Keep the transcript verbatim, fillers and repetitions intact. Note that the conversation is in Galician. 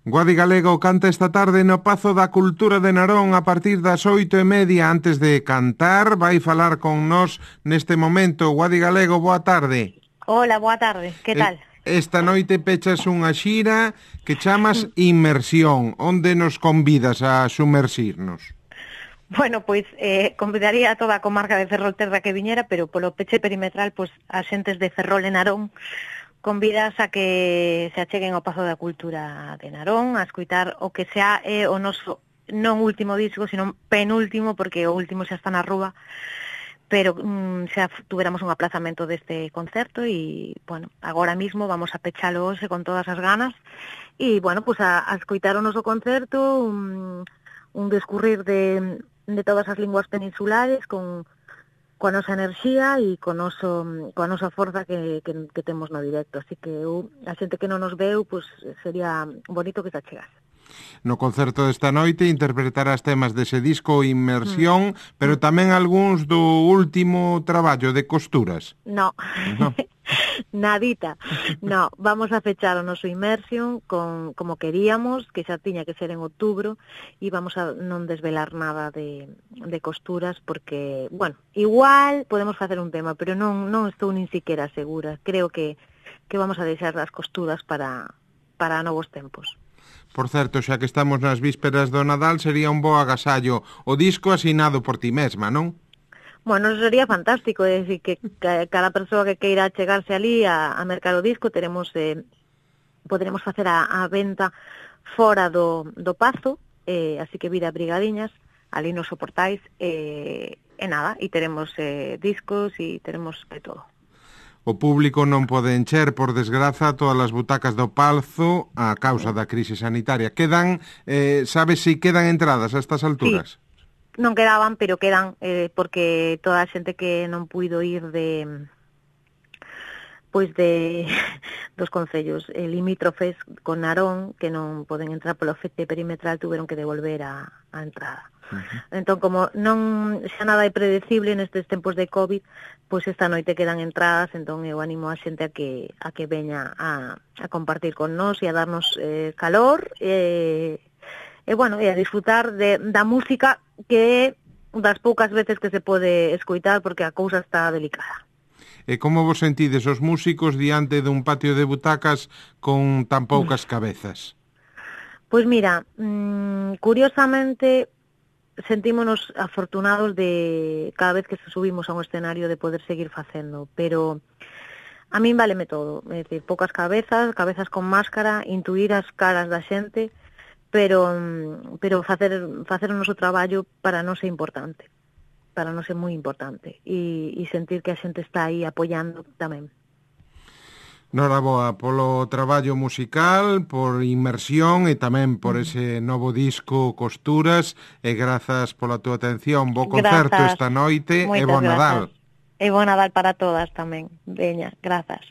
Guadi Galego canta esta tarde no Pazo da Cultura de Narón a partir das oito e media. Antes de cantar, vai falar con nós neste momento. Guadi Galego, boa tarde. Hola, boa tarde, que tal? Esta noite pechas unha xira que chamas Inmersión. Onde nos convidas a sumersirnos? Bueno, pois eh, convidaría a toda a comarca de Ferrolterra que viñera, pero polo peche perimetral, pois as xentes de Ferrol e Narón convidas a que se acheguen ao Pazo da Cultura de Narón a escutar o que xa é o noso non último disco, sino penúltimo, porque o último xa está na rúa, pero mm, xa tuveramos un aplazamento deste concerto e, bueno, agora mismo vamos a pechalo hoxe con todas as ganas e, bueno, pues a, a escoitar o noso concerto, un, un descurrir de, de todas as linguas peninsulares con coa nosa enerxía e co noso, coa nosa forza que, que, que temos no directo. Así que eu, a xente que non nos veu, pues, sería bonito que se achegase. No concerto desta noite interpretarás temas dese disco Inmersión, mm. pero tamén algúns do último traballo de Costuras. No, no. Nadita. No, vamos a fechar o noso Immersion con como queríamos, que xa tiña que ser en outubro, e vamos a non desvelar nada de, de Costuras, porque, bueno, igual podemos facer un tema, pero non non estou nin siquiera segura. Creo que, que vamos a deixar as Costuras para, para novos tempos. Por certo, xa que estamos nas vísperas do Nadal, sería un bo agasallo o disco asinado por ti mesma, non? Bueno, sería fantástico, é dicir, que cada persoa que queira chegarse ali a, a mercar o disco, teremos, eh, poderemos facer a, a venta fora do, do Pazo, eh, así que vida brigadiñas, ali nos soportais, eh, e nada, e teremos eh, discos e teremos de todo. O público non pode encher, por desgraza, todas as butacas do Pazo a causa da crise sanitaria. Quedan, eh, sabes se si quedan entradas a estas alturas? Sí. Non quedaban, pero quedan, eh, porque toda a xente que non puido ir de pois de dos concellos eh, limítrofes con Narón, que non poden entrar polo fete perimetral, tuveron que devolver a, a entrada. Uh-huh. Entón, como non xa nada é predecible nestes tempos de COVID, pois esta noite quedan entradas, entón eu animo a xente a que a que veña a, a compartir con nós e a darnos eh, calor e, e bueno, e a disfrutar de, da música que é das poucas veces que se pode escoitar, porque a cousa está delicada. E como vos sentides os músicos diante dun patio de butacas con tan poucas cabezas? Pois mira, mmm, curiosamente sentímonos afortunados de cada vez que se subimos a un escenario de poder seguir facendo, pero a min váleme todo, é dicir, poucas cabezas, cabezas con máscara, intuir as caras da xente, pero pero facer facer o noso traballo para nós é importante, para nós é moi importante, e, e sentir que a xente está aí apoiando tamén. Noraboa polo traballo musical, por Inmersión e tamén por ese novo disco Costuras, e grazas pola túa atención. Bo concerto esta noite e bo Nadal. E bo Nadal para todas tamén. Veña, grazas.